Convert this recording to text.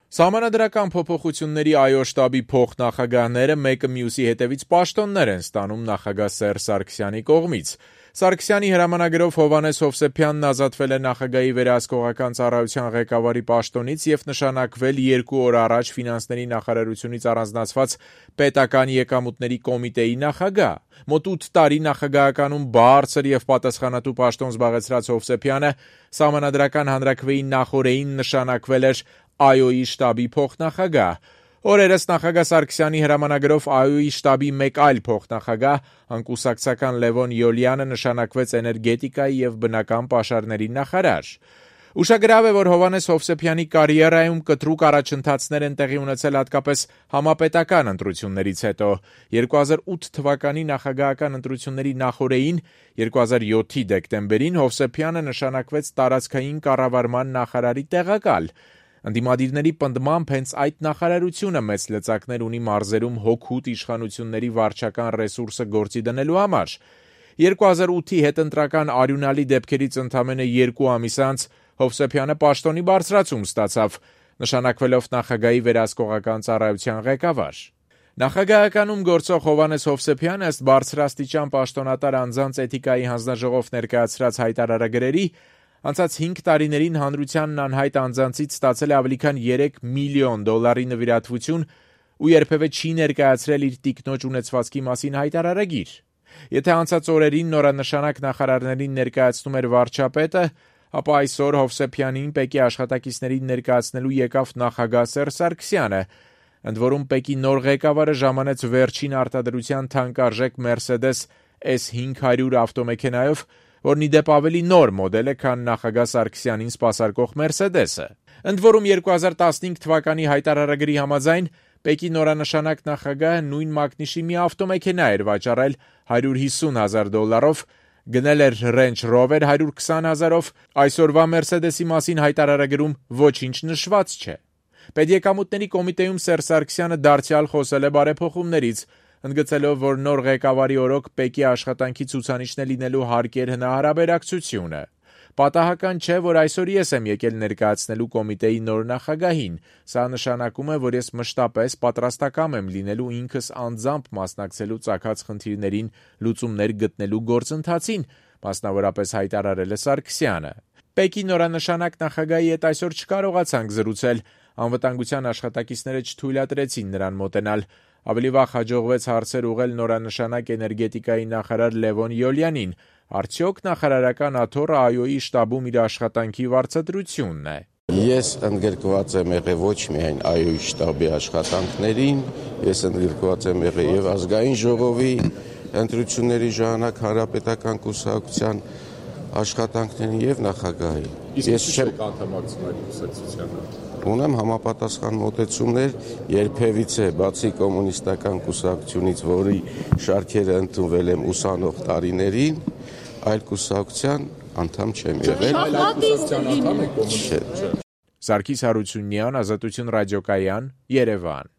Սահմանադրական փոփոխությունների ԱՅՈ շտաբի փոխնախագահները մեկը մյուսի հետևից պաշտոններ են ստանում նախագահ Սերժ Սարգսյանի կողմից։ Սարգսյանի հրամանագրով Հովհաննես Հովսեփյանն ազատվել է նախագահի վերահսկողական ծառայության ղեկավարի պաշտոնից և նշանակվել 2 օր առաջ ֆինանսների նախարարությունից առանձնացված պետական եկամուտների կոմիտեի նախագահ։ Մոտ 8 տարի նախագահականում բարձր և պատասխանատու պաշտոն զբաղեցրած Հովսեփյանը Սահմանադրական հանրաքվեի նախօրեին նշանակվել էր ԱՅՈ-ի շտաբի փոխնախագահ։ Օրերս նախագահ Սարգսյանի հրամանագրով ԱՅՈ-ի շտաբի մեկ այլ փոխնախագահ, անկուսակցական Լևոն Յոլյանը նշանակվեց էներգետիկայի և բնական պաշարների նախարար։ Ուշագրավ է, որ Հովհաննես Հովսեփյանի կարիերայում կտրուկ առաջընթացներ են տեղի ունեցել հատկապես համապետական ընտրություններից հետո։ 2008 թվականի նախագահական ընտրությունների նախօրեին 2007-ի դեկտեմբերին Հովսեփյանը նշանակվեց տարածքային կառավարման նախարարի տեղակալ։ Ընդդիմադիրների պնդմամբ հենց այդ նախարարությունը մեծ լծակներ ունի մարզերում հօգուտ իշխանությունների վարչական ռեսուրսը գործի դնելու համար։ 2008-ի հետընտրական արյունալի դեպքերից ընդամենը 2 ամիս անց Հովսեփյանը պաշտոնի բարձրացում ստացավ, նշանակվելով նախագահի վերահսկողական ծառայության ղեկավար։ Նախագահականում գործող Հովհաննես Հովսեփյանը ըստ բարձրաստիճան պաշտոնատար անձանց էթիկայի հանձնաժողով ներկայացրած հայտարարագրերի անցած 5 տարիներին հանրությանն անհայտ անձանցից ստացել է ավելի քան $3 միլիոն նվիրատվություն ու երբևէ չի ներկայացրել իր տիկնոջ ունեցվածքի մասին հայտարարագիր։ Եթե անցած օրերին նորանշանակ նախարարներին ներկայացնում էր վարչապետը, ապա այսօր Հովսեփյանին ՊԵԿ-ի աշխատակիցներին ներկայացնելու եկավ նախագահ Սերժ Սարգսյանը։ Ընդ որում ՊԵԿ-ի նոր ղեկավարը ժամանեց վերջին արտադրության թանկարժեք Mercedes S500 ավտոմեքենայով, որն ի դեպ ավելի նոր մոդել է, քան նախագահ Սարգսյանին սպասարկող Mercedes-ը։ Ընդ որում 2015 թվականի հայտարարագրի համաձայն ՊԵԿ-ի նորանշանակ նախագահը նույն մակնիշի մի ավտոմեքենա էր վաճառել $150,000, գնել էր Range Rover 120,000-ով, այսօրվա Mercedes-ի մասին հայտարարագրում ոչինչ նշված չէ։ Պետեկամուտների կոմիտեում Սերժ Սարգսյանը դարձյալ խոսել է բարեփոխումներից, ընդգծելով, որ նոր ղեկավարի օրոք ՊԵԿ-ի աշխատանքի ցուցանիշն է լինելու հարկեր հնարաբերակցությունը։ Պատահական չէ, որ այսօր ես եմ եկել ներկայացնելու կոմիտեի նոր նախագահին։ Սա նշանակում է, որ ես մշտապես պատրաստակամ եմ լինելու ինքս անձամբ մասնակցելու ծագած խնդիրներին լուծումներ գտնելու գործընթացին, մասնավորապես հայտարարել է Սարգսյանը։ ՊԵԿ-ի նորանշանակ նախագահի հետ այսօր չկարողացանք զրուցել, անվտանգության աշխատակիցները չթույլատրեցին նրան մոտենալ։ Ավելի վաղ հաջողվեց հարցեր ուղղել նորանշանակ էներգետիկայի նախարար Լևոն Յոլյանին։ Արդյոք նախարարական աթոռը ԱՅՈ-ի շտաբում իր աշխատանքի վարձատրությունն է։ Ես ընդգրկված եմ եղել ոչ միայն ԱՅՈ-ի շտաբի աշխատանքներին, ես ընդգրկված եմ եղել եւ ազգային ժողովի ընտրությունների ժամանակ հանրապետական կուսակցության աշխատանքներին եւ նախագահի։ Ես չեմ անդամակցում կուսակցությանը։ Ունեմ համապատասխան մոտեցումներ, երբևիցե բացի կոմունիստական կուսակցությունից, որի շարքերը ընդունվել եմ ուսանող տարիներին, այլ կուսակցության անդամ չեմ եղել։ Սարգիս Հարությունյան, Ազատություն ռադիոկայան, Երևան։